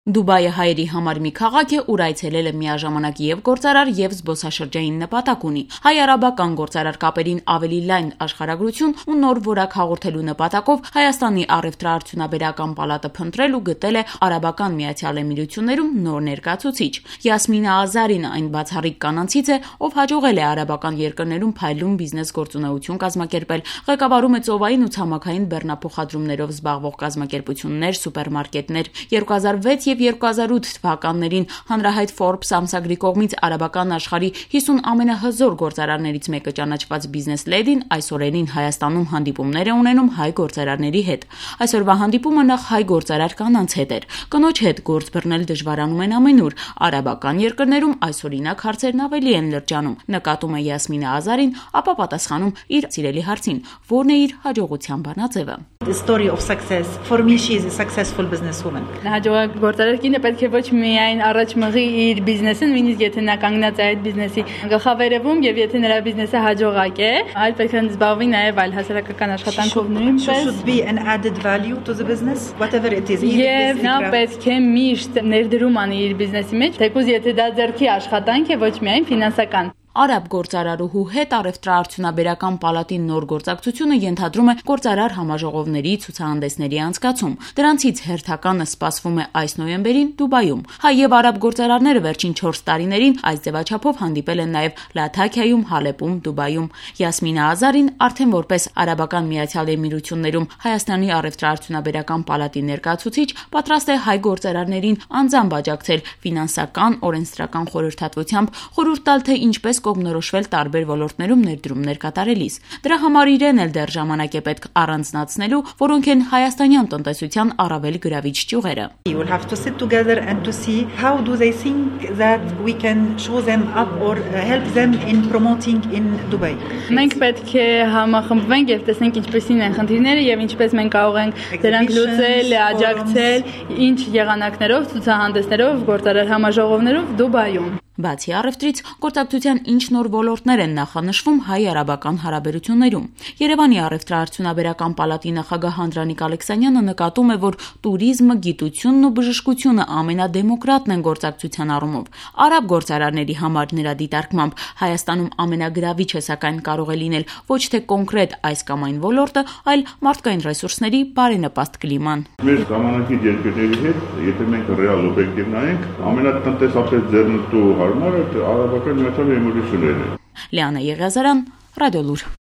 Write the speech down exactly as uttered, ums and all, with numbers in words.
Դուբայը հայերի համար մի քաղաք է, ուր այցելելը միաժամանակ եւ գործարար եւ զբոսաշրջային նպատակ ունի։ Հայ-արաբական գործարար կապերին ավելի լայն աշխարհագրություն ու նոր որակ հաղորդելու նպատակով Հայաստանի առևտրաարդյունաբերական պալատը փնտրել ու գտել է Արաբական Միացյալ Էմիրություններում նոր ներկայացուցիչ։ Յասմինա Ազարին այն բացառիկ կանանցից է, ով հաջողել է արաբական երկրներում փայլուն բիզնես գործունեություն կազմակերպել, ղեկավարում է ծովային ու ցամաքային բեռնափոխադրումներով զբաղվող կազմակերպություններ, սուպերմարկետներ։ երկու հազար վեց եւ երկու հազար ութ թվականներին հանրահայտ Forbes ամսագրի կողմից արաբական աշխարհի հիսուն ամենահզոր գործարարներից մեկը ճանաչված բիզնես լեդին այս օրերին Հայաստանում հանդիպումներ է ունենում հայ գործարարների հետ։ Այսօրվա հանդիպումը նախ հայ գործարար կանանց հետ էր։ Կնոջ հետ գործ բռնել դժվարանում են ամենուր։ Արաբական երկրներում այսօրինակ հարցերն ավելի են լրջանում, նկատում է Յասմինա Ազարին, ապա պատասխանում իր սիրելի հարցին, որն է իր հաջողության բանաձևը։ The story of success. For me, she is a successful businesswoman. Հաջող գործարար կինը պետք է ոչ միայն առաջ մղի իր բիզնեսին, նույնիսկ եթե նա կանգնած է այդ բիզնեսի գլխավերևում եւ եթե նրա բիզնեսը հաջողակ է, այլ պետք է զբաղվի նաեւ այլ հասարակական աշխատանքով նույնպես. Should be an added value to the business, whatever it is. Եվ նա պետք է միշտ ներդրում անի իր բիզնեսի մեջ, թեկուզ եթե դա ձեռքի աշխատանք է, ոչ միայն ֆինանսական։ Արաբ գործարարուհու հետ առևտրաարդյունաբերական պալատի նոր գործակցությունը ենթադրում է գործարար համաժողովների ցուցահանդեսների անցկացում։ Դրանցից հերթականը սպասվում է այս նոյեմբերին Դուբայում։ Հայ եւ արաբ գործարարները վերջին չորս տարիներին այս ձևաչափով հանդիպել են նաեւ Լաթաքիայում, Հալեպում, Դուբայում։ Յասմինա Ազարին արդեն որպես Արաբական Միացյալ Էմիրություններում Հայաստանի առևտրաարդյունաբերական պալատի ներկայացուցիչ պատրաստ է հայ գործարարներին անձամբ աջակցել ֆինանսական, օրենսդրական խորհրդատվությամբ, խորհուրդ տալ թե ինչպես կողմնորոշվել տարբեր ոլորտներում ներդրումներ կատարելիս։ Դրա համար իրեն էլ դեռ ժամանակ է պետք առանձնացնելու, որոնք են հայաստանյան տնտեսության առավել գրավիչ ճյուղերը։ You will have to sit together and to see how do they think that we can show them up or help them in promoting in Dubai. Մենք պետք է համախմբվենք եւ տեսնենք ինչպեսին են խնդիրները եւ ինչպես մենք կարող ենք դրանք լուծել, աջակցել, ինչ եղանակներով, ցուցահանդեսներով, գործարար համաժողովներով Դուբայում։ Բացի առևտրից, գործակցության ինչ նոր ոլորտներ են նախանշվում հայ-արաբական հարաբերություններում։ Երևանի առևտրաարդյունաբերական պալատի նախագահ Անդրանիկ Ալեքսանյանը նկատում է, որ տուրիզմը, գիտությունն ու բժշկությունը ամենադեմոկրատն են գործակցության առումով։ Արաբ գործարարների համար նրա դիտարկմամբ Հայաստանում ամենագրավիչը սակայն կարող է լինել ոչ թե կոնկրետ այս կամ այն ոլորտը, այլ մարդկային ռեսուրսների բարենպաստ կլիման։ Մեր ժամանակի երկրների հետ, եթե մենք ռեալ օբյեկտիվ նայենք, ամենատնտեսապես ձեռնտու հարմարը Արաբական Միացյալ Էմիրություններն են։ Լիանա Եղիազարյան, Ռադիոլուր։